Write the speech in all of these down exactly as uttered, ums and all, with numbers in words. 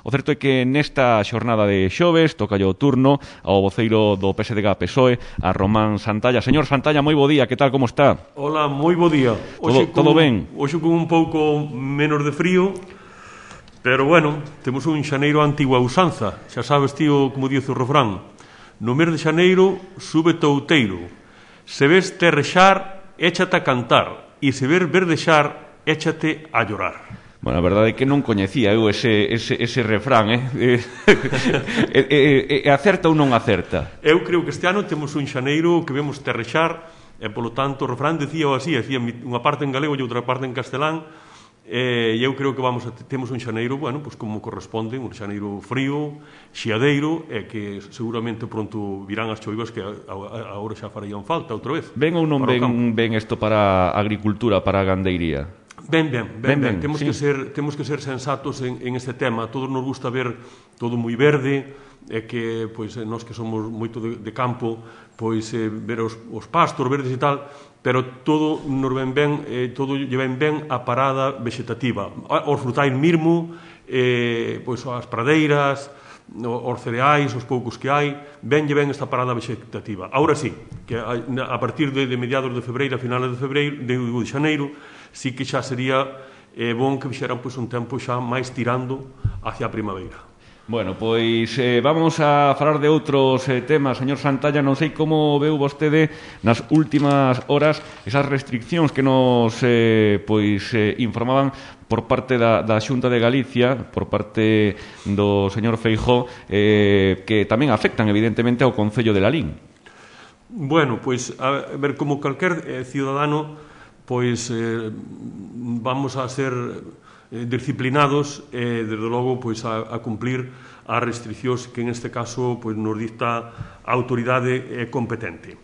O certo é que nesta xornada de xoves toca o turno ao voceiro do P S D G P S O E, a Román Santalla. Señor Santalla, moi bo día, que tal, como está? Hola, moi bo día. Todo, con, todo ben? Hoxe con un pouco menos de frío, pero bueno, temos un xaneiro antigua usanza. Xa sabes, tío, como dice o refrán, no mes de xaneiro sube touteiro. Se ves terrexar, échate a cantar, e se ver verdexar, échate a llorar. Bueno, a verdade é que non coñecía eu ese, ese, ese refrán, eh? E, e, e acerta ou non acerta? Eu creo que este ano temos un xaneiro que vemos terrexar, e polo tanto o refrán decía así, decía unha parte en galego e outra parte en castelán, e eu creo que vamos a, temos un xaneiro, bueno, pues como corresponde, un xaneiro frío, xiadeiro, e que seguramente pronto virán as choivas que agora xa farían falta outra vez. Ben ou non ben, ben isto para a agricultura, para a gandeiría? Ben, ben, ben, ben. ben. Temos, sí. que ser, temos que ser sensatos en, en este tema. A todos nos gusta ver todo moi verde, e que, pois, nós que somos moito de, de campo, pois, eh, ver os, os pastos verdes e tal, pero todo nos ven ben, eh, todo lle ven ben a parada vegetativa. Os frutais mesmo, eh, pois, as pradeiras, os cereais, os poucos que hai, benlle ben esta parada vegetativa. Ahora sí, que a partir de, de mediados de febreiro, a finales de febreiro, de, de xaneiro, sí que xa sería eh, bon que fixeran pois, un tempo xa máis tirando hacia a primavera. Bueno, pois eh, vamos a falar de outros eh, temas, señor Santalla. Non sei como veu vostede nas últimas horas esas restriccións que nos eh, pois eh, informaban por parte da, da Xunta de Galicia, por parte do señor Feijóo, eh, que tamén afectan evidentemente ao Concello de Lalín. Bueno, pois a ver, como calquer eh, ciudadano, pois eh, vamos a ser eh, disciplinados e, eh, desde logo, pois a, a cumplir as restriccións que en este caso pois, nos dicta a autoridade eh, competente.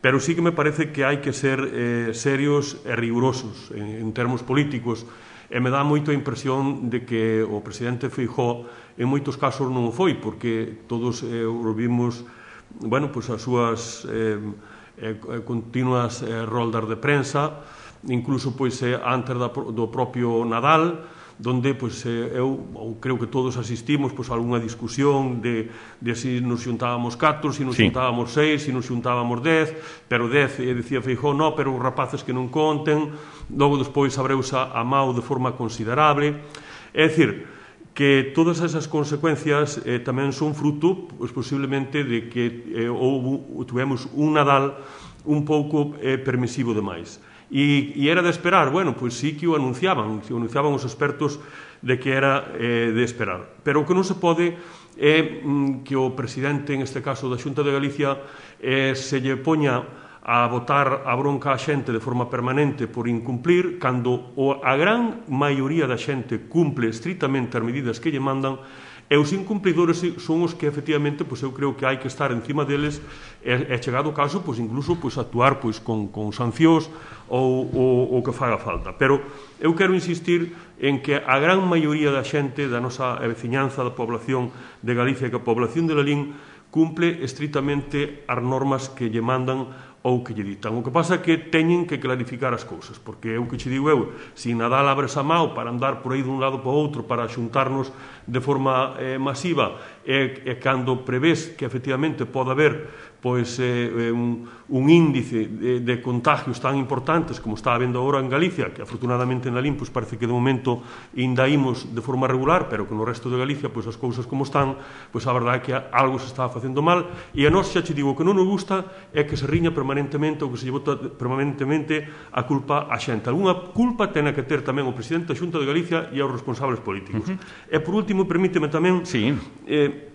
Pero sí que me parece que hai que ser eh, serios e rigurosos en, en termos políticos, e me dá moito a impresión de que o presidente Feijóo en moitos casos non o foi, porque todos eh, vimos, bueno, pois as súas eh, eh, continuas eh, roldas de prensa, incluso pois eh, antes da, do propio Nadal, donde pois, eh, eu ou creo que todos asistimos pois, a algunha discusión de, de se nos xuntábamos catro, se nos sí. xuntábamos seis, se nos xuntábamos dez, pero dez, eh, decía Feijóo, no, pero os rapaces que non conten, logo despois abreuse a mao de forma considerable. É dicir, que todas esas consecuencias eh, tamén son fruto, pois, posiblemente, de que eh, houve, tuvemos un Nadal un pouco eh, permisivo demais. E, e era de esperar, bueno, pois sí que o anunciaban, que o anunciaban os expertos de que era eh, de esperar. Pero o que non se pode é mm, que o presidente, en este caso da Xunta de Galicia, eh, se lle poña a botar a bronca a xente de forma permanente por incumplir, cando o, a gran maioría da xente cumple estritamente as medidas que lle mandan, e os incumplidores son os que, efectivamente, pois eu creo que hai que estar encima deles e, e chegado o caso, pois incluso pois, actuar pois, con, con sancións ou o que faga falta. Pero eu quero insistir en que a gran maioría da xente da nosa veciñanza, da población de Galicia, que a población de Lalín cumple estritamente as normas que lle mandan ou que lle ditan. O que pasa é que teñen que clarificar as cousas, porque é o que che digo eu, se Nadal abres a mao para andar por aí dun lado para outro, para xuntarnos de forma eh, masiva, e, e cando prevés que efectivamente pode haber pois, eh, un, un índice de, de contagios tan importantes como está habendo agora en Galicia, que afortunadamente en Lalín pois, parece que de momento ainda imos de forma regular, pero que no resto de Galicia pois, as cousas como están, pois a verdade é que algo se está facendo mal, e a nós xa che digo que non nos gusta é que se riña permanentemente ou que se lle bota permanentemente a culpa a xente. Alguna culpa tena que ter tamén o presidente da Xunta de Galicia e os responsables políticos. Uh -huh. E por último, permíteme tamén sí. eh,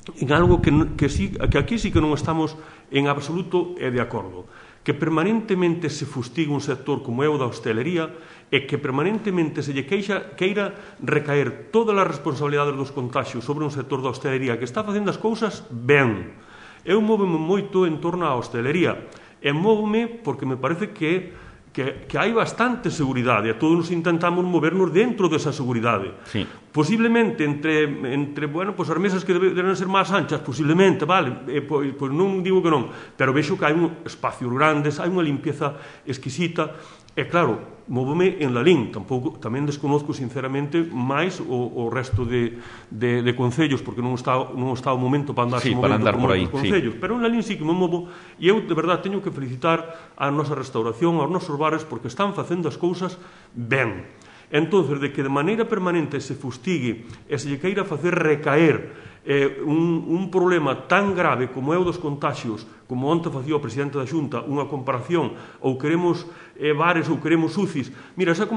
en algo que, que, sí, que aquí sí que non estamos en absoluto e de acordo, que permanentemente se fustiga un sector como é o da hostelería e que permanentemente se lle queixa, queira recaer todas as responsabilidades dos contagios sobre un sector da hostelería que está facendo as cousas ben. Eu móveme moito en torno á hostelería e móvome porque me parece que Que, que hai bastante seguridade e todos nos intentamos movernos dentro desa seguridade. Sí. Posiblemente entre, entre bueno, pues as mesas que deben ser máis anchas, posiblemente, vale, e, pois, pois non digo que non, pero vexo que hai un espacios grandes, hai unha limpieza exquisita, e claro, móvome en Lalín, tampouco, tamén desconozco sinceramente máis o, o resto de, de, de concellos, porque non está, non está o momento para andar sí, para andar por, por aí, concellos, sí. pero en Lalín sí que me movo, e eu de verdade teño que felicitar a nosa restauración, aos nosos bares, porque están facendo as cousas ben. Entonces, de que de maneira permanente se fustigue e se lle queira facer recaer eh, un, un problema tan grave como é o dos contagios, como onte facía o presidente da Xunta, unha comparación, ou queremos eh, bares ou queremos U C Is, mira, esa,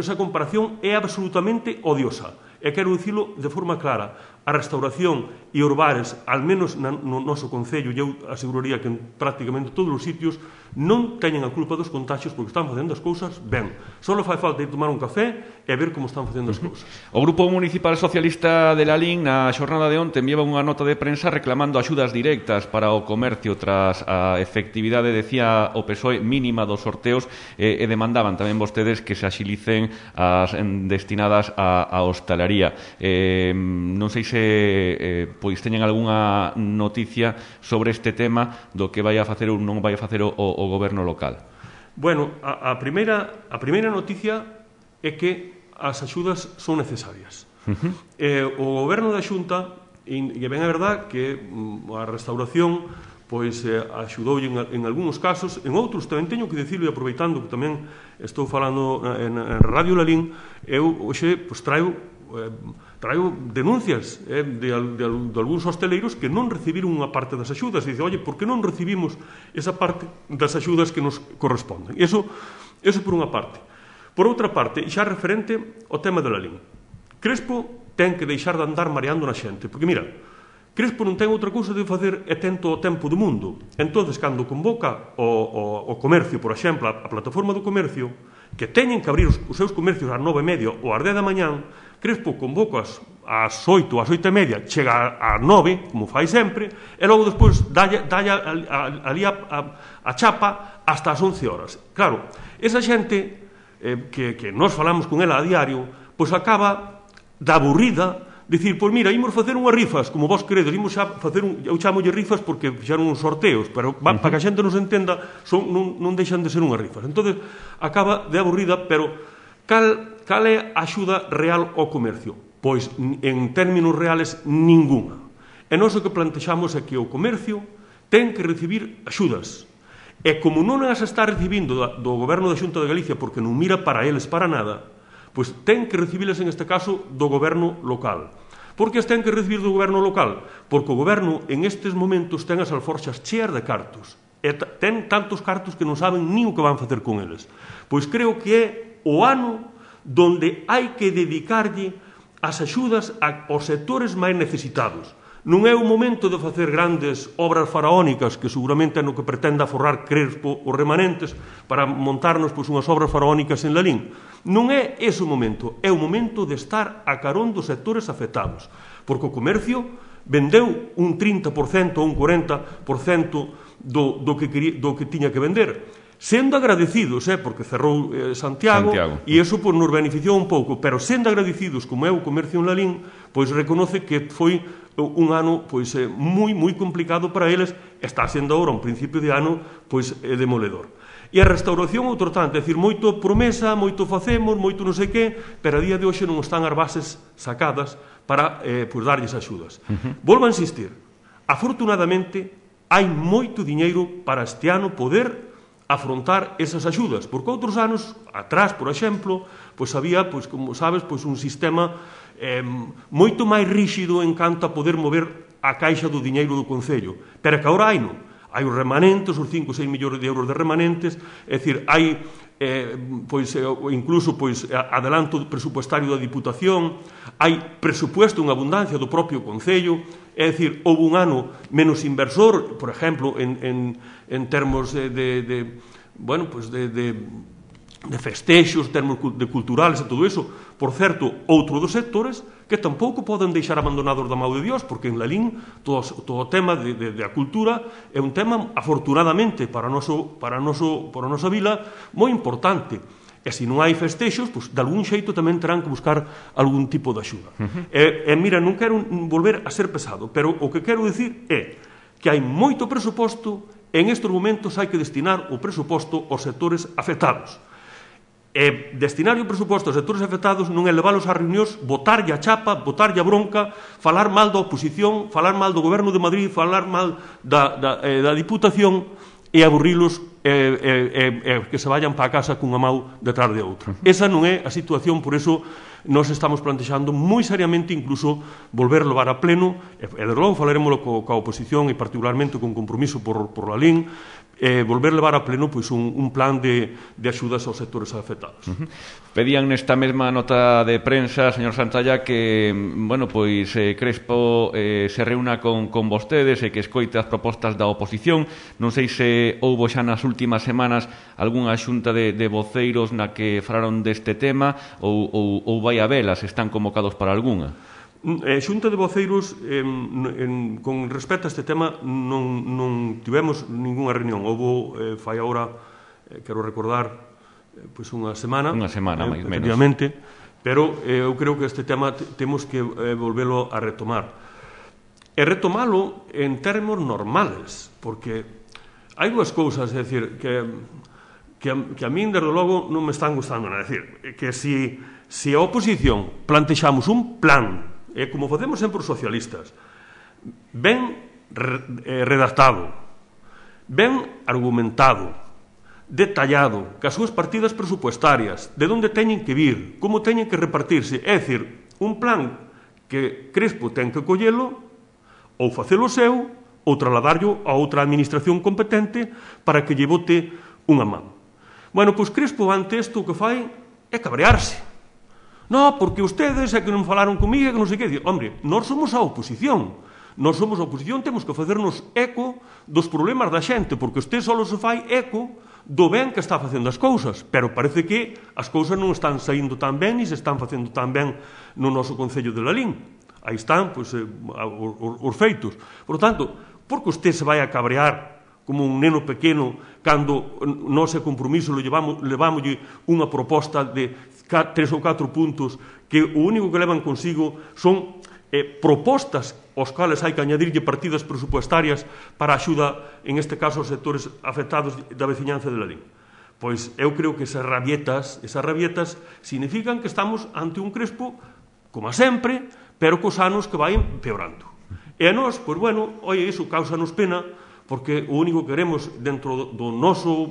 esa comparación é absolutamente odiosa, e quero dicilo de forma clara. A restauración e os bares, al menos no noso concello, e eu aseguraría que en prácticamente todos os sitios, non teñen a culpa dos contagios porque están facendo as cousas ben. Só fai falta ir tomar un café e ver como están facendo as cousas. O Grupo Municipal Socialista de Lalín na xornada de onte enviaba unha nota de prensa reclamando axudas directas para o comercio tras a efectividade, decía o P S O E, mínima dos sorteos e, e demandaban tamén vostedes que se axilicen as destinadas a, a hostalería. Eh, non sei se eh, pois teñen algunha noticia sobre este tema do que vai a facer ou non vai a facer o, o goberno local. Bueno, a, a, primeira, a primeira noticia é que as axudas son necesarias. Uh-huh. eh, o goberno da Xunta, e ben é verdad que a restauración pois eh, axudou en, en algúns casos, en outros tamén teño que dicirlo, e aproveitando que tamén estou falando en, en Radio Lalín, eu hoxe pois, traio eh, traio denuncias eh, de, de, de algúns hosteleiros que non recibiron unha parte das axudas, e dice, oye, por que non recibimos esa parte das axudas que nos corresponden? Eso, eso por unha parte. Por outra parte, xa referente ao tema de Lalín, Crespo ten que deixar de andar mareando na xente, porque mira, Crespo non ten outra cousa de facer e ten todo o tempo do mundo. Entonces, cando convoca o, o, o comercio, por exemplo, a, a plataforma do comercio, que teñen que abrir os, os seus comercios ás nove e media ou ás dez da mañán, Crespo convoca ás oito, ás oito e media, chega ás nove, como fai sempre, e logo despois dalle, dalle ali a, a, a chapa hasta as once horas. Claro, esa xente eh, que, que nós falamos con ela a diario, pois acaba da aburrida, dicir, pois mira, imos facer unhas rifas, como vos queredes, imos xa facer un, eu chamolle rifas porque fixeron uns sorteos, pero va, uh-huh. para que a xente nos entenda, son, non, non deixan de ser unhas rifas. Entonces, acaba de aburrida, pero cal, cal é a axuda real ao comercio? Pois, en términos reales, ninguna. E nós o que plantexamos é que o comercio ten que recibir axudas. E como non as está recibindo do goberno da Xunta de Galicia porque non mira para eles para nada, pois ten que recibiles en este caso do goberno local. Por que as ten que recibir do goberno local? Porque o goberno en estes momentos ten as alforxas cheas de cartos. E ten tantos cartos que non saben nin o que van facer con eles. Pois creo que é o ano donde hai que dedicarlle as axudas aos sectores máis necesitados. Non é o momento de facer grandes obras faraónicas, que seguramente é no que pretenda forrar Crespo os remanentes para montarnos pois, unhas obras faraónicas en Lalín. Non é ese o momento, é o momento de estar a carón dos sectores afectados. Porque o comercio vendeu un trinta por cento ou un cuarenta por cento do, do, que, quería, do que tiña que vender. Sendo agradecidos, eh, porque cerrou eh, Santiago, Santiago, e iso pois, nos beneficiou un pouco, pero sendo agradecidos, como é o comercio en Lalín, pois reconoce que foi un ano pois, eh, moi, moi complicado para eles, está sendo agora un principio de ano pois, eh, demoledor. E a restauración, outro tanto, é dicir, moito promesa, moito facemos, moito non sei que, pero a día de hoxe non están as bases sacadas para eh, pois, darlles axudas. Uh-huh. Volvo a insistir, afortunadamente, hai moito diñeiro para este ano poder afrontar esas axudas, porque outros anos atrás, por exemplo, pois había, pois como sabes, pois un sistema eh, moito máis ríxido en canto a poder mover a caixa do diñeiro do Concello, pero que agora hai non. Hai os remanentes, os cinco ou seis millóns de euros de remanentes, é dicir, hai eh, pois, incluso pois, adelanto presupuestario da Diputación, hai presupuesto en abundancia do propio Concello, é dicir, houve un ano menos inversor, por exemplo, en, en, en termos de, de, de, bueno, pues de, de, de festexos, termos de culturales e todo iso. Por certo, outro dos sectores que tampouco poden deixar abandonados da mão de Dios, porque en Lalín todo, todo o tema de, de, de a cultura é un tema, afortunadamente, para a, noso, para, a noso, para a nosa vila, moi importante. E se non hai festexos, pois, de algún xeito tamén terán que buscar algún tipo de axuda. Uh-huh. E, e mira, non quero volver a ser pesado, pero o que quero dicir é que hai moito presuposto, en estes momentos hai que destinar o presuposto aos sectores afectados. E destinar o presuposto aos sectores afectados non é leválos ás reunións, botarlle a chapa, botarlle a bronca, falar mal da oposición, falar mal do Goberno de Madrid, falar mal da, da, eh, da Diputación e aburrilos e eh, eh, eh, que se vayan para a casa cunha mau detrás de outra. Esa non é a situación, por iso nos estamos plantexando moi seriamente incluso volver a levar a pleno, e, e de logo falaremoslo co, coa oposición e particularmente con compromiso por, por la L I N, eh, volver a levar a pleno pois, un, un plan de, de axudas aos sectores afectados. Uh-huh. Pedían nesta mesma nota de prensa, señor Santalla, que bueno, pois eh, Crespo eh, se reúna con, con vostedes e que escoite as propostas da oposición. Non sei se houbo xa nas últimas semanas algunha xunta de, de voceiros na que falaron deste tema ou, ou, ou vai a velas, están convocados para algunha? Eh, xunta de voceiros, eh, en, con respecto a este tema, non, non tivemos ningunha reunión. Houbo, eh, fai agora, eh, quero recordar, eh, pois unha semana. Unha semana, eh, máis menos. Efectivamente, pero eh, eu creo que este tema temos que eh, volvelo a retomar. E retomalo en termos normales, porque hai dúas cousas, é dicir, que, que, a, que a min, desde logo, non me están gustando. É dicir, que si, si a oposición plantexamos un plan, e como facemos sempre os socialistas, ben redactado, ben argumentado, detallado, que as súas partidas presupuestarias, de onde teñen que vir, como teñen que repartirse, é dicir, un plan que Crespo ten que collelo, ou facelo seu, ou trasladarlo a outra administración competente para que lle bote unha man. Bueno, pois Crespo ante isto o que fai é cabrearse. No, porque ustedes é que non falaron comigo, que non sei que. Hombre, nós somos a oposición. Nós somos a oposición, temos que facernos eco dos problemas da xente, porque usted só se fai eco do ben que está facendo as cousas, pero parece que as cousas non están saindo tan ben e se están facendo tan ben no noso Concello de Lalín. Aí están, pois, eh, os, os feitos. Por tanto, porque usted se vai a cabrear como un neno pequeno cando nós e compromiso levamos, levámoslle unha proposta de tres ou catro puntos que o único que levan consigo son eh, propostas aos cales hai que añadirlle partidas presupuestarias para a axuda, en este caso, aos sectores afectados da veciñanza de Lalín. Pois eu creo que esas rabietas, esas rabietas significan que estamos ante un Crespo, como sempre, pero cos anos que vai empeorando. E a nós, pois bueno, oi, iso causa-nos pena, porque o único que queremos dentro do noso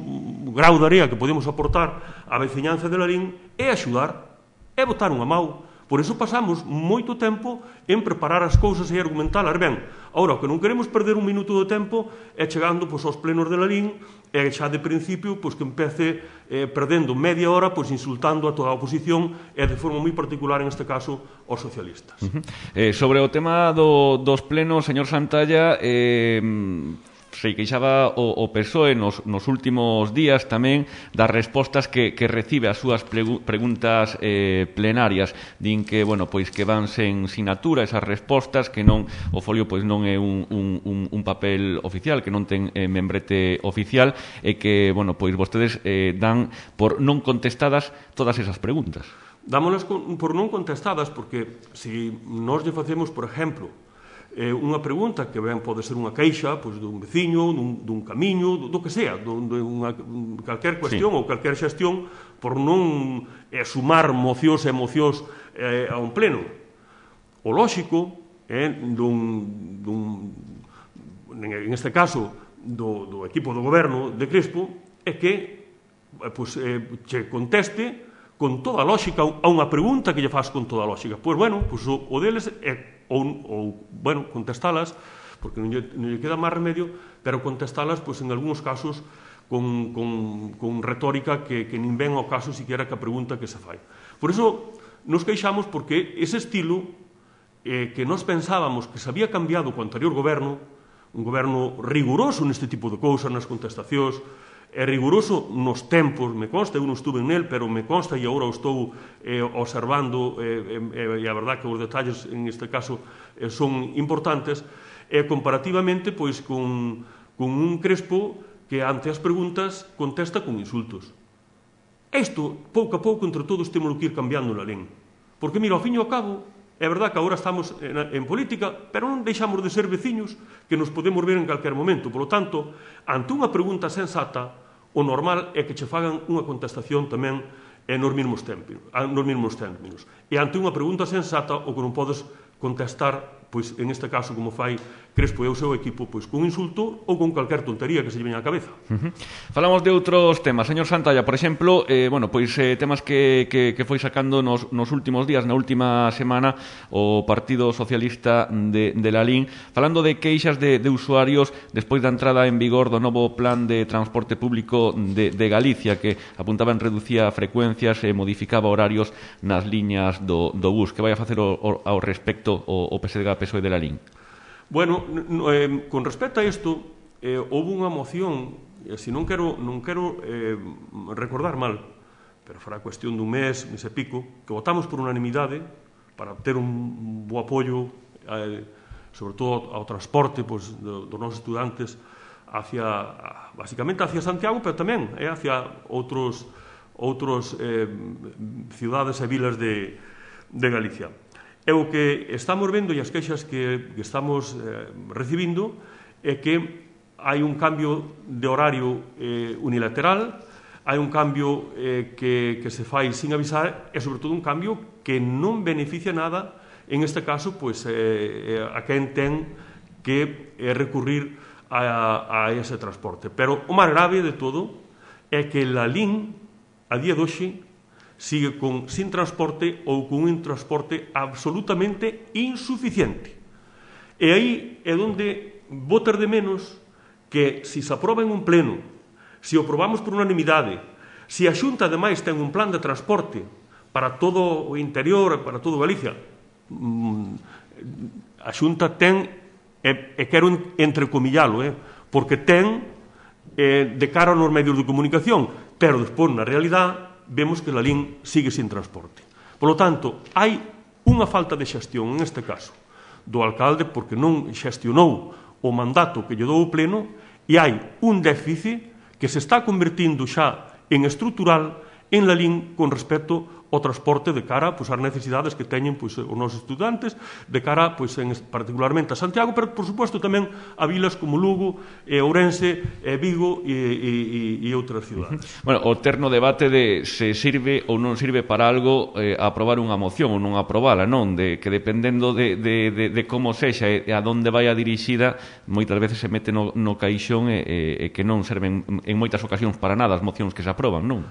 grau de area que podemos aportar á veciñanza de Lalín é axudar, é botar unha mau. Por iso pasamos moito tempo en preparar as cousas e argumentalas ben. Agora, o que non queremos perder un minuto de tempo é chegando pois, aos plenos de Lalín e xa de principio pois, que empece eh, perdendo media hora pois, insultando a toda a oposición e de forma moi particular, en este caso, aos socialistas. Uh-huh. eh, sobre o tema do, dos plenos, señor Santalla, eh, se queixaba o, o P S O E nos, nos últimos días tamén das respostas que, que recibe as súas pregu preguntas eh, plenarias. Din que, bueno, pois que van sen sinatura esas respostas, que non o folio pois non é un, un, un, un papel oficial, que non ten eh, membrete oficial e que, bueno, pois vostedes eh, dan por non contestadas todas esas preguntas. Dámolas por non contestadas porque se nós lle facemos, por exemplo, Eh, unha pregunta que ben pode ser unha queixa pois, dun veciño, dun, dun camiño, do, do que sea, dun, de unha, calquer cuestión sí. ou calquer xestión por non eh, sumar mocións e emocións eh, a un pleno. O lóxico é eh, dun, dun, en este caso do, do equipo do goberno de Crespo é que eh, pois, eh, che conteste con toda a lógica a unha pregunta que lle faz con toda a lógica. Pois, bueno, pois, o, o deles é ou, ou bueno, contestalas, porque non lle, non lle queda máis remedio, pero contestalas, pois, en algúns casos, con, con, con retórica que, que nin ven ao caso siquiera que a pregunta que se fai. Por iso, nos queixamos porque ese estilo eh, que nós pensábamos que se había cambiado co anterior goberno, un goberno riguroso neste tipo de cousas, nas contestacións, é riguroso nos tempos, me consta, eu non estuve nel, pero me consta e agora o estou eh, observando eh, eh, e a verdad que os detalles en este caso eh, son importantes, e eh, comparativamente pois con, con un Crespo que ante as preguntas contesta con insultos. Isto, pouco a pouco, entre todos temos que ir cambiando na lén, porque mira, ao fin e ao cabo é verdad que agora estamos en, en política, pero non deixamos de ser veciños que nos podemos ver en calquer momento. Por lo tanto, ante unha pregunta sensata, o normal é que che fagan unha contestación tamén e nos mesmos términos. E ante unha pregunta sensata, o que non podes contestar, pois, en este caso, como fai Crespo e o seu equipo, pois, con insulto ou con calquer tontería que se lle veña á cabeza. Uh-huh. Falamos de outros temas. Señor Santalla, por exemplo, eh, bueno, pois eh, temas que, que, que foi sacando nos, nos últimos días, na última semana, o Partido Socialista de, de Lalín, falando de queixas de, de usuarios despois da entrada en vigor do novo plan de transporte público de, de Galicia, que apuntaban reducía frecuencias e modificaba horarios nas liñas do, do bus. Que vai a facer o, o, ao respecto o, o P S D G P S O E de Lalín? Bueno, eh, con respecto a isto, eh, houve unha moción, e se non quero, non quero eh, recordar mal, pero fará cuestión dun mes, mes e pico, que votamos por unanimidade para ter un bo apoio, eh, sobre todo ao transporte pois, do, dos nosos estudantes hacia, basicamente hacia Santiago, pero tamén eh, hacia outros, outros eh, cidades e vilas de, de Galicia. E o que estamos vendo e as queixas que, que estamos eh, recibindo é que hai un cambio de horario eh, unilateral, hai un cambio eh, que, que se fai sin avisar e, sobre todo, un cambio que non beneficia nada, en este caso, pois, eh, a quen ten que eh, recurrir a, a ese transporte. Pero o máis grave de todo é que Lalín, a día de hoxe, sigue con, sin transporte ou con un transporte absolutamente insuficiente. E aí é onde vou ter de menos que, se se aproba en un pleno, se o aprobamos por unanimidade, se a Xunta, ademais, ten un plan de transporte para todo o interior, para todo Galicia, a Xunta ten, e, e quero entrecomillalo, eh, porque ten eh, de cara nos medios de comunicación, pero despois, na realidade, vemos que Lalín sigue sin transporte. Por lo tanto, hai unha falta de xestión, en este caso, do alcalde, porque non xestionou o mandato que lle dou o pleno, e hai un déficit que se está convertindo xa en estrutural en Lalín con respecto ao transporte de cara pois, ás necesidades que teñen pois, os nosos estudantes, de cara pois, en, particularmente a Santiago, pero, por suposto, tamén a vilas como Lugo, e Ourense, e Vigo e, e, e outras cidades. Bueno, o terno debate de se sirve ou non sirve para algo eh, aprobar unha moción ou non aprobala, non? De, que dependendo de, de, de, de como sexa e a donde vai a dirixida, moitas veces se mete no, no caixón e, e, e que non serven en moitas ocasións para nada as mocións que se aproban, non?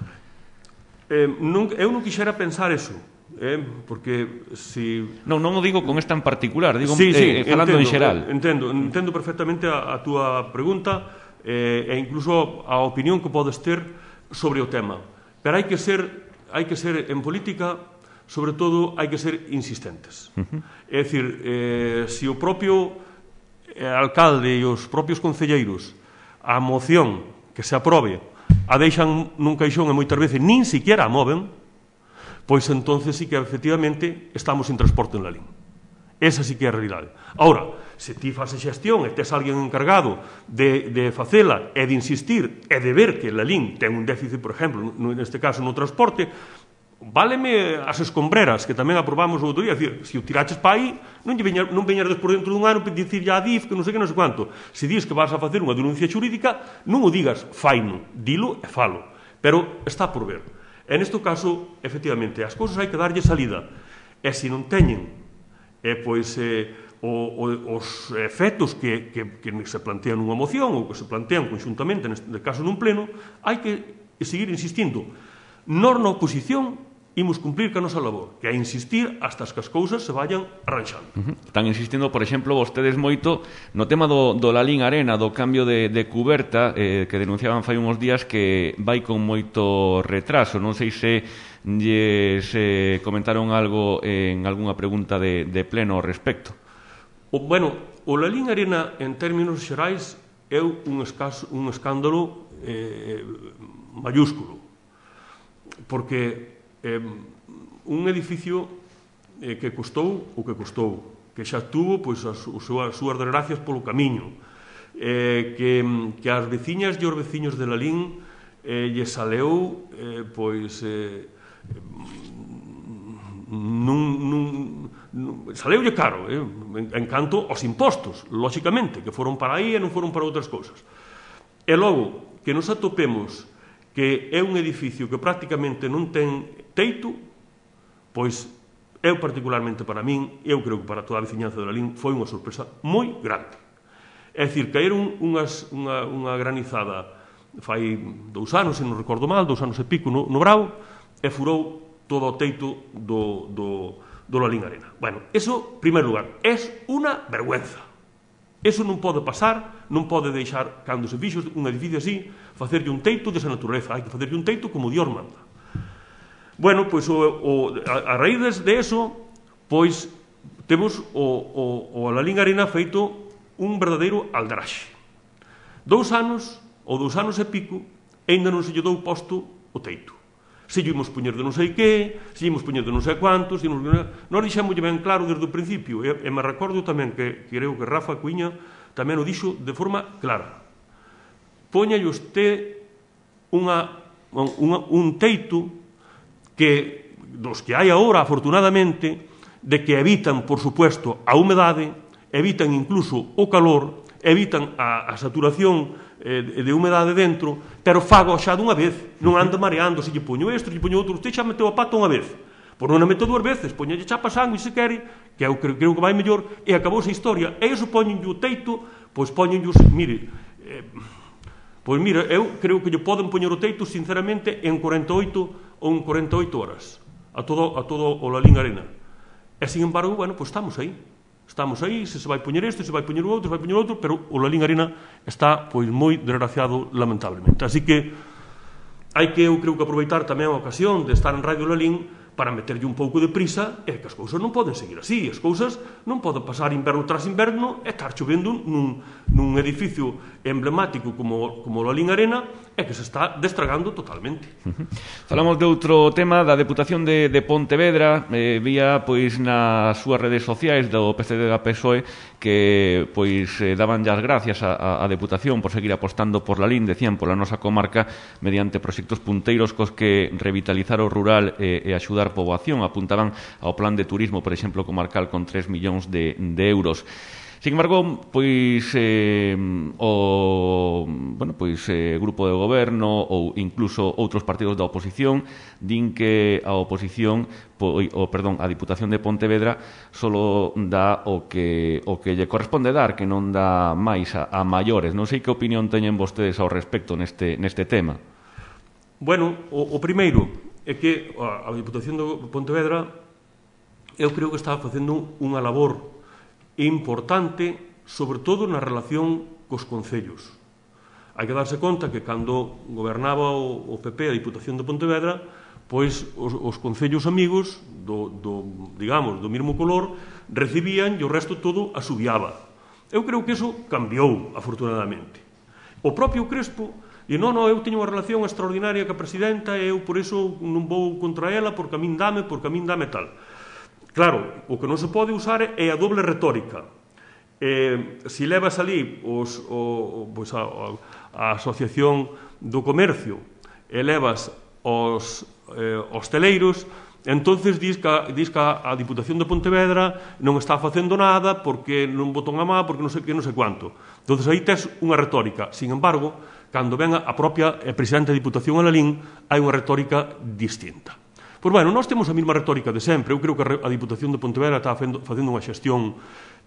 Eh, non, eu non quixera pensar eso, eh, porque si... Non, non o digo con esta en particular, digo sí, sí, eh, falando entendo, en xeral. Entendo, entendo perfectamente a, a túa pregunta eh, e incluso a opinión que podes ter sobre o tema. Pero hai que ser, hai que ser en política, sobre todo, hai que ser insistentes. Uh-huh. É dicir, eh, se o propio eh, alcalde e os propios concelleiros a moción que se aprobe a deixan nun caixón e moitas veces nin siquiera a moven, pois entonces sí que efectivamente estamos sin transporte en Lalín. Esa sí que é a realidade. Ahora, se ti faz a xestión e tes alguén encargado de, de facela e de insistir e de ver que Lalín ten un déficit, por exemplo, neste caso no transporte, váleme as escombreras que tamén aprobamos o outro día, decir, se o tiraches para aí, non, veña, non veñas despois dentro dun ano para dicir ya a D I F que non sei que non sei quanto. Se dis que vas a facer unha denuncia xurídica, non o digas faino, dilo e falo, pero está por ver. En este caso, efectivamente, as cousas hai que darlle salida, e se non teñen eh, pois, eh, o, o, os efectos que, que, que se plantean nunha moción ou que se plantean conxuntamente, neste caso nun pleno, hai que seguir insistindo. Nós na oposición imos cumplir ca nosa labor, que é insistir hasta que as cousas se vayan arranxando. Uh-huh. Están insistindo, por exemplo, vostedes moito no tema do, do Lalín Arena, do cambio de, de cuberta, eh, que denunciaban fai uns días que vai con moito retraso. Non sei se lles eh, comentaron algo en algunha pregunta de, de pleno ao respecto. O, bueno, o Lalín Arena, en términos xerais, é un, escaso, un escándalo eh, mayúsculo, porque eh, un edificio eh, que custou o que custou, que xa tuvo pois, as, as súas desgracias polo camiño, eh, que, que as veciñas e os veciños de Lalín eh, lle saleu eh, pois eh, nun, nun, nun, saleulle caro eh, en, en canto aos impostos, lóxicamente, que foron para aí e non foron para outras cousas. E logo, que nos atopemos que é un edificio que prácticamente non ten teito, pois eu particularmente para min, eu creo que para toda a veciñanza de Lalín, foi unha sorpresa moi grande. É dicir, caeron unhas, unha, unha granizada fai dous anos, se non recordo mal, dous anos e pico no, no Bravo, e furou todo o teito do, do, do Lalín Arena. Bueno, eso, en primer lugar, é unha vergüenza. Eso non pode pasar, non pode deixar, cando se fixo un edificio así, facerlle un teito desa natureza. Hai que facerlle un teito como Dios manda. Bueno, pois o, o, a, a raíz de eso, pois temos o, o, o Lalín Arena feito un verdadeiro aldaraxe. Dous anos, ou dous anos e pico, ainda non se lle dou posto o teito. Se lle imos poñer de non sei que, se lle imos poñer de non sei cuantos, nós dixemos ben claro desde o principio, e, e me recordo tamén que creo que Rafa Cuiña tamén o dixo de forma clara. Póñalle usted unha, unha, un teito que, dos que hai agora, afortunadamente, de que evitan, por supuesto, a humedade, evitan incluso o calor, evitan a, a saturación eh, de humedade dentro, pero fago xa dunha vez, non anda mareando, se lle poño isto, se lle poño outro, usted xa meteu a pata unha vez, por non a meteu dúas veces, poñalle chapa sangue se quere, que eu creo, creo que vai mellor, e acabou esa historia, e iso poñenlle o teito, pois poñenlle, mire, eh, pois mira, eu creo que lle poden poñer o teito, sinceramente, en cuarenta e oito ou en cuarenta e oito horas, a todo, a todo o Lalín Arena. E, sin embargo, bueno, pois estamos aí. Estamos aí, se se vai poñer isto, se vai poñer o outro, se vai poñer o outro, pero o Lalín Arena está, pois, moi desgraciado, lamentablemente. Así que hai que, eu creo que aproveitar tamén a ocasión de estar en Radio Lalín para meterlle un pouco de prisa, e que as cousas non poden seguir así. As cousas non poden pasar inverno tras inverno e estar chovendo nun, nun edificio emblemático como, como o Lalín Arena, e que se está destragando totalmente. Uh-huh. Falamos de outro tema, da Deputación de, de Pontevedra. Eh, vía, pois, nas súas redes sociais do P C D da P S O E que, pois, eh, daban as gracias á Deputación por seguir apostando por Lalín, decían, pola nosa comarca, mediante proxectos punteiros cos que revitalizar o rural e, e axudar poboación. Apuntaban ao plan de turismo, por exemplo, comarcal con tres millóns de, de euros. Sin embargo, pois eh, o bueno, pois eh, grupo de goberno ou incluso outros partidos da oposición din que a oposición, po, o perdón, a Diputación de Pontevedra solo dá o que o que lle corresponde dar, que non dá máis a, a maiores. Non sei que opinión teñen vostedes ao respecto neste neste tema. Bueno, o, o primeiro é que a, a Diputación de Pontevedra eu creo que está facendo unha labor importante, sobre todo na relación cos concellos. Hai que darse conta que cando gobernaba o, o P P a Diputación de Pontevedra, pois os, os concellos amigos do, do, digamos, do mesmo color recibían e o resto todo asubiaba. Eu creo que iso cambiou, afortunadamente. O propio Crespo e non, non, eu teño unha relación extraordinaria ca presidenta e eu por iso non vou contra ela porque a min dame, porque a min dame tal. Claro, o que non se pode usar é a doble retórica. Eh, se levas ali os, o, pois a, a Asociación do Comercio e levas os eh, hosteleiros, entonces dis que, dis que a Diputación de Pontevedra non está facendo nada porque non botou a má, porque non sei que, non sei cuánto. Entonces aí tes unha retórica. Sin embargo, cando ven a propia presidenta da Diputación a Lalín, hai unha retórica distinta. Pois, bueno, nós temos a mesma retórica de sempre. Eu creo que a Diputación de Pontevedra está facendo unha xestión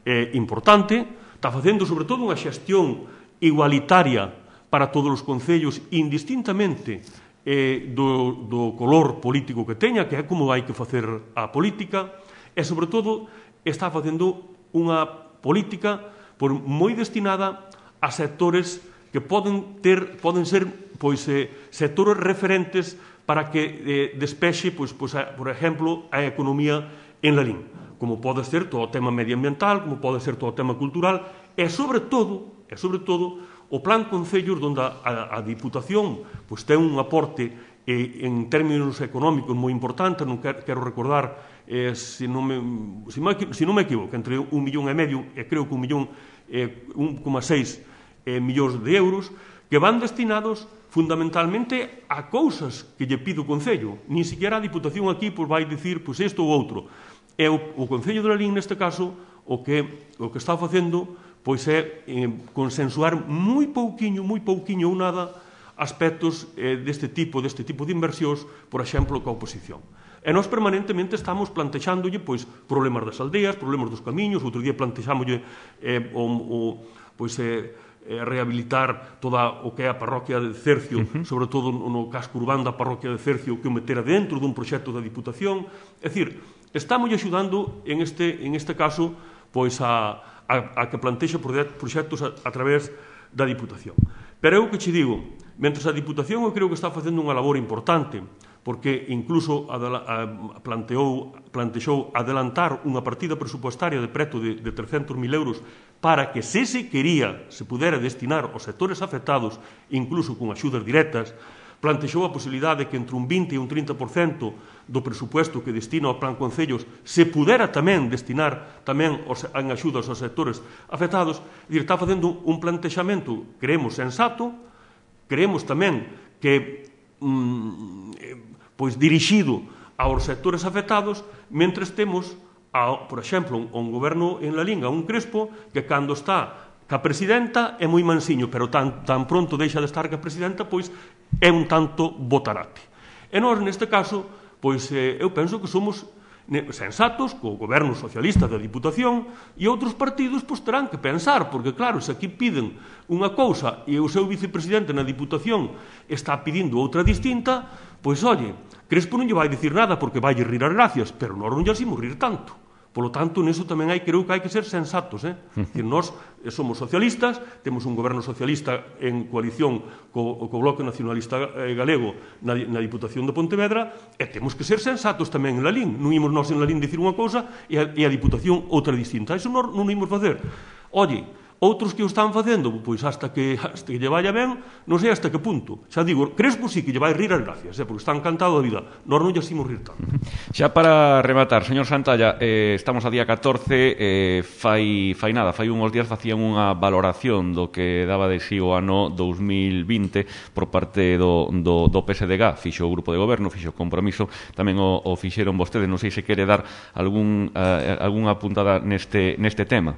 eh, importante, está facendo, sobre todo, unha xestión igualitaria para todos os concellos, indistintamente eh, do, do color político que teña, que é como hai que facer a política, e, sobre todo, está facendo unha política por, moi destinada a sectores que poden ter, poden ser, pois, eh, sectores referentes para que eh, despexe, pois, pois, a, por exemplo, a economía en Lalín, como pode ser todo o tema medioambiental, como pode ser todo o tema cultural, e, sobre todo, e, sobre todo, o plan Concellos, onde a, a, a Diputación pois, ten un aporte eh, en términos económicos moi importante. Non quero, quero recordar, eh, se, non me, se, me, se non me equivoco, entre un millón e medio, e creo que un millón, eh, un coma seis eh, millóns de euros, que van destinados fundamentalmente a cousas que lle pido o Concello. Nin siquiera a Diputación aquí pois, vai dicir pois, isto ou outro. E o, o Concello de Lalín, neste caso, o que, o que está facendo pois, é eh, consensuar moi pouquiño, moi pouquiño ou nada aspectos eh, deste tipo, deste tipo de inversións, por exemplo, coa oposición. E nós permanentemente estamos plantexándolle pois, problemas das aldeas, problemas dos camiños, outro día plantexámoslle eh, o, o, pois, eh, eh, rehabilitar toda o que é a parroquia de Cercio, uh -huh. sobre todo no casco urbano da parroquia de Cercio, que o metera dentro dun proxecto da Diputación. É dicir, estamos axudando en este, en este caso pois, a, a, a que plantexe proxectos a, a través da Diputación. Pero eu que che digo, mentre a Diputación eu creo que está facendo unha labor importante, porque incluso planteou, plantexou adelantar unha partida presupuestaria de preto de, de trescentos mil euros para que, se se quería, se pudera destinar aos sectores afectados, incluso con axudas directas, plantexou a posibilidade de que entre un vinte e un trinta por cento do presupuesto que destina ao Plan Concellos se pudera tamén destinar tamén os, en axudas aos sectores afectados. É dicir, está facendo un plantexamento, creemos, sensato, creemos tamén que mm, pois dirixido aos sectores afectados, mentres temos, a, por exemplo, un goberno en la Linga, un Crespo, que cando está ca presidenta é moi mansiño, pero tan, tan pronto deixa de estar ca presidenta, pois é un tanto botarate. E nós, neste caso, pois eh, eu penso que somos sensatos, co goberno socialista da Diputación, e outros partidos pois terán que pensar, porque claro, se aquí piden unha cousa e o seu vicepresidente na Diputación está pedindo outra distinta, pois, oye, Crespo non lle vai dicir nada porque vai rir as gracias, pero nós non lle imos rir tanto. Polo tanto, neso tamén hai, creo que hai que ser sensatos. Eh? Que nós somos socialistas, temos un goberno socialista en coalición co, co Bloque Nacionalista Galego na, na Diputación de Pontevedra, e temos que ser sensatos tamén en Lalín. Non imos nós en Lalín dicir unha cousa e a, e a Diputación outra distinta. Iso non, non imos facer. Oye, outros que o están facendo, pois hasta que, hasta que lle vaya ben, non sei hasta que punto. Xa digo, Crespo sí que lle vai rir as gracias, eh, porque está encantado da vida. Nós non lle imos rir tanto. Xa para rematar, señor Santalla, eh, estamos a día catorce, eh, fai, fai nada, fai unhos días facían unha valoración do que daba de si o ano dous mil vinte por parte do, do, do P S D G, fixo o grupo de goberno, fixo o compromiso, tamén o, o fixeron vostedes, non sei se quere dar algún, uh, algunha apuntada neste, neste tema.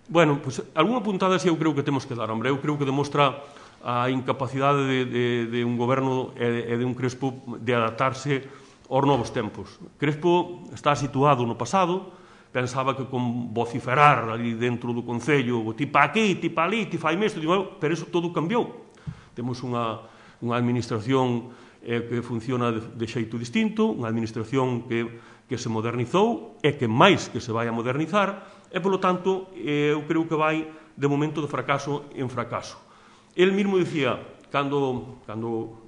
Bueno, pois, pues, algunha puntada si eu creo que temos que dar, hombre. Eu creo que demostra a incapacidade de, de, de un goberno e de un Crespo de adaptarse aos novos tempos. Crespo está situado no pasado, pensaba que con vociferar ali dentro do Concello, tipa aquí, tipa ali, ti fai isto, pero iso todo cambiou. Temos unha, unha administración eh, que funciona de, de xeito distinto, unha administración que, que se modernizou e que máis que se vai a modernizar, e, polo tanto, eu creo que vai de momento de fracaso en fracaso. El mesmo dicía, cando, cando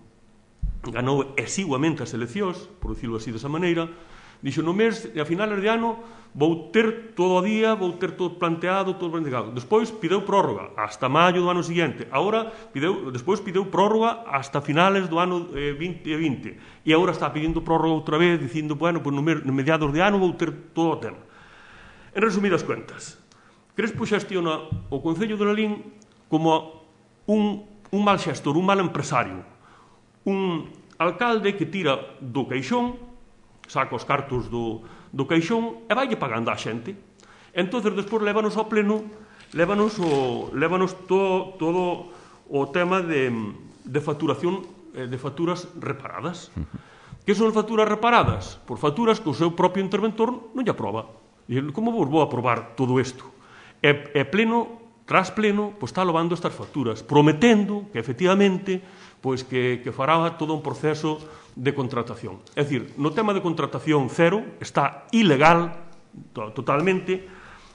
ganou exiguamente as eleccións, por dicirlo así desa maneira, dixo, no mes, a finales de ano, vou ter todo o día, vou ter todo planteado, todo planteado. Despois pideu prórroga hasta maio do ano seguinte. Agora, pideu, despois pideu prórroga hasta finales do ano eh, vinte vinte. E agora está pedindo prórroga outra vez, dicindo, bueno, pues no, no mediados de ano vou ter todo o tema. En resumidas cuentas, Crespo xestiona o Concello de Lalín como un, un mal xestor, un mal empresario, un alcalde que tira do caixón, saca os cartos do, do caixón e vai pagando á xente. Entón, despois, lévanos ao pleno, lévanos, o, lévanos todo, todo o tema de, de facturación, de facturas reparadas. Que son facturas reparadas? Por facturas que o seu propio interventor non lle aproba. E como vos vou aprobar todo isto? E, e pleno, tras pleno, pois está levando estas facturas, prometendo que, efectivamente, pois que, que fará todo un proceso de contratación. É dicir, no tema de contratación cero, está ilegal to, totalmente,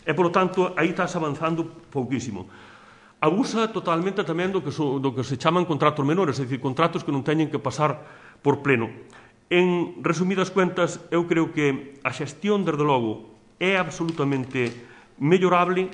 e, polo tanto, aí estás avanzando pouquísimo. Abusa totalmente tamén do que, so, do que se chaman contratos menores, é dicir, contratos que non teñen que pasar por pleno. En resumidas cuentas, eu creo que a xestión, desde logo, é absolutamente mellorable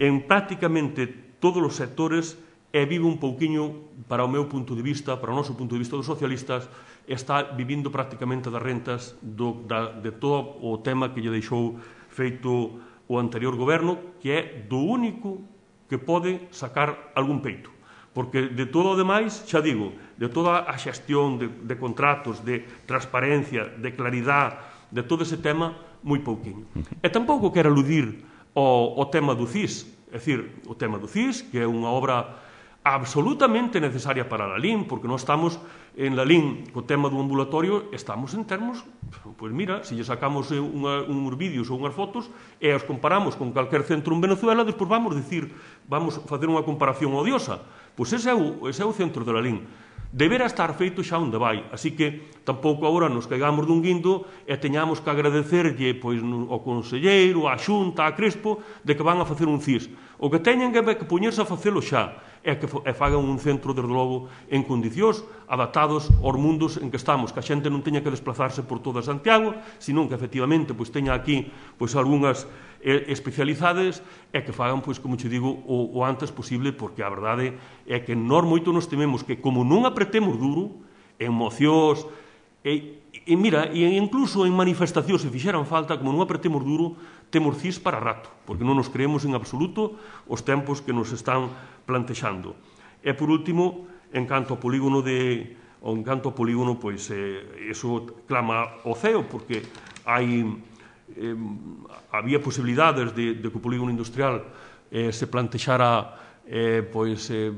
en prácticamente todos os sectores e vive un pouquiño, para o meu punto de vista, para o noso punto de vista dos socialistas, está vivindo prácticamente das rentas do, da, de todo o tema que lle deixou feito o anterior goberno, que é do único que pode sacar algún peito. Porque de todo o demais, xa digo, de toda a xestión de, de contratos, de transparencia, de claridade, de todo ese tema, moi pouquinho. E tampouco quero aludir ao, ao tema do C I S, é dicir, o tema do C I S, que é unha obra absolutamente necesaria para a Lalín, porque nós estamos en Lalín co tema do ambulatorio, estamos en termos, pois mira, se lle sacamos unha, uns vídeos ou unhas fotos e os comparamos con calquer centro en Venezuela, despois vamos dicir, vamos facer unha comparación odiosa. Pois ese é o, ese é o centro de Lalín. Debera estar feito xa onde vai, así que tampouco agora nos caigamos dun guindo e teñamos que agradecerlle pois, ao conselleiro, á Xunta, a Crespo, de que van a facer un C I S. O que teñen que, que poñerse a facelo xa é que e fagan un centro, desde logo, en condicións adaptados aos mundos en que estamos, que a xente non teña que desplazarse por toda Santiago, senón que, efectivamente, pois, teña aquí pois, algunhas eh, especializades e que fagan, pois, como te digo, o, o antes posible, porque a verdade é que nós moito nos tememos que, como non apretemos duro, en mocións, e, e mira, e incluso en manifestacións, se fixeran falta, como non apretemos duro, temos C I S para rato, porque non nos creemos en absoluto os tempos que nos están plantexando. E, por último, en canto ao polígono de o en canto ao polígono, pois, eh, eso clama ao ceo, porque hai eh, había posibilidades de, de que o polígono industrial eh, se plantexara eh, pois, eh,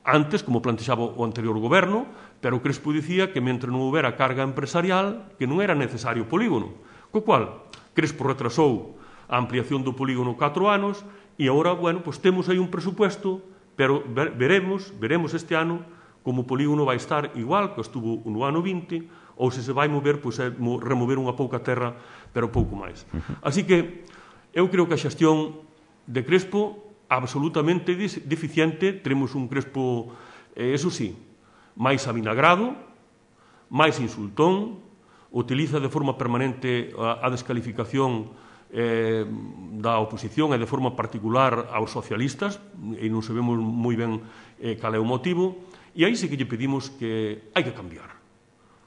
antes, como plantexaba o anterior goberno, pero o Crespo dicía que, mentre non houbera carga empresarial, que non era necesario o polígono. Co cual, Crespo retrasou a ampliación do polígono catro anos e agora, bueno, pois temos aí un presupuesto, pero veremos, veremos este ano como o polígono vai estar igual que estuvo no ano vinte, ou se se vai mover, pois é remover unha pouca terra, pero pouco máis. Así que eu creo que a xestión de Crespo absolutamente deficiente. Teremos un Crespo, eh, eso sí, máis avinagrado, máis insultón, utiliza de forma permanente a, a descalificación eh, da oposición e de forma particular aos socialistas, e non sabemos moi ben eh, cal é o motivo, e aí sí que lle pedimos que hai que cambiar.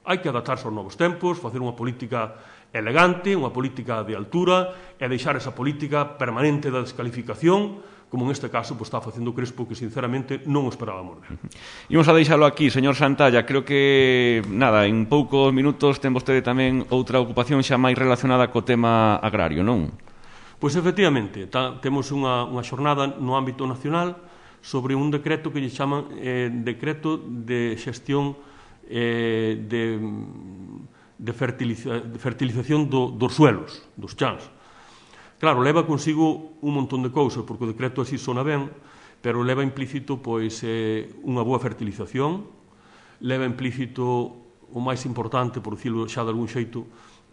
Hai que adaptarse aos novos tempos, facer unha política elegante, unha política de altura, e deixar esa política permanente da descalificación, como neste caso pues, está facendo Crespo, que sinceramente non o esperábamos ver. Imos a deixalo aquí, señor Santalla. Creo que, nada, en poucos minutos ten vostede tamén outra ocupación xa máis relacionada co tema agrario, non? Pois, efectivamente, ta, temos unha, unha xornada no ámbito nacional sobre un decreto que lle chaman eh, decreto de xestión eh, de, de, fertiliza, de fertilización do, dos suelos, dos chans. Claro, leva consigo un montón de cousas, porque o decreto así sona ben, pero leva implícito pois, eh, unha boa fertilización, leva implícito o máis importante, por dicirlo xa de algún xeito,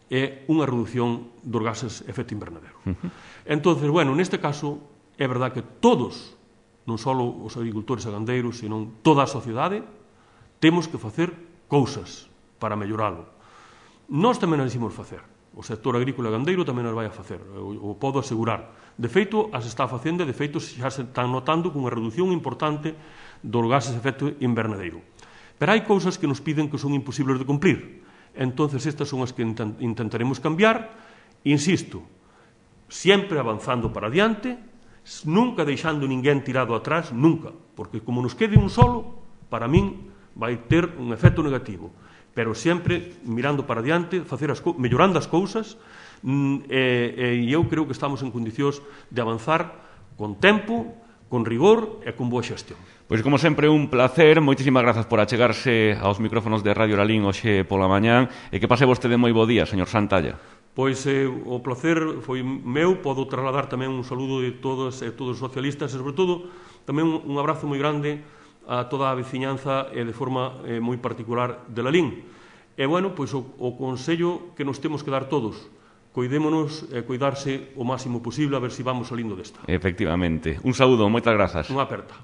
é unha reducción dos gases de efecto invernadero. Uh-huh. Entón, bueno, neste caso, é verdad que todos, non só os agricultores e gandeiros, senón toda a sociedade, temos que facer cousas para melloralo. Nós tamén as imos facer. O sector agrícola e gandeiro tamén as vai a facer, o, o podo asegurar. De feito, as está facendo, de feito, xa se están notando con unha reducción importante dos gases de efecto invernadeiro. Pero hai cousas que nos piden que son imposibles de cumplir. Entonces, estas son as que intentaremos cambiar. Insisto, sempre avanzando para adiante, nunca deixando ninguén tirado atrás, nunca. Porque como nos quede un solo, para min vai ter un efecto negativo. Pero sempre mirando para adiante, facer as mellorando as cousas, e, e eu creo que estamos en condicións de avanzar con tempo, con rigor e con boa xestión. Pois, como sempre, un placer. Moitísimas grazas por achegarse aos micrófonos de Radio Lalín hoxe pola mañán, e que pase vostede moi bo día, señor Santalla. Pois eh, o placer foi meu. Podo trasladar tamén un saludo de todos e todos os socialistas, e sobre todo tamén un abrazo moi grande a toda a veciñanza e de forma eh, moi particular de Lalín. E, bueno, pois o, o consello que nos temos que dar todos, coidémonos e eh, cuidarse o máximo posible, a ver se si vamos salindo desta. Efectivamente. Un saúdo, moitas grazas. Unha aperta.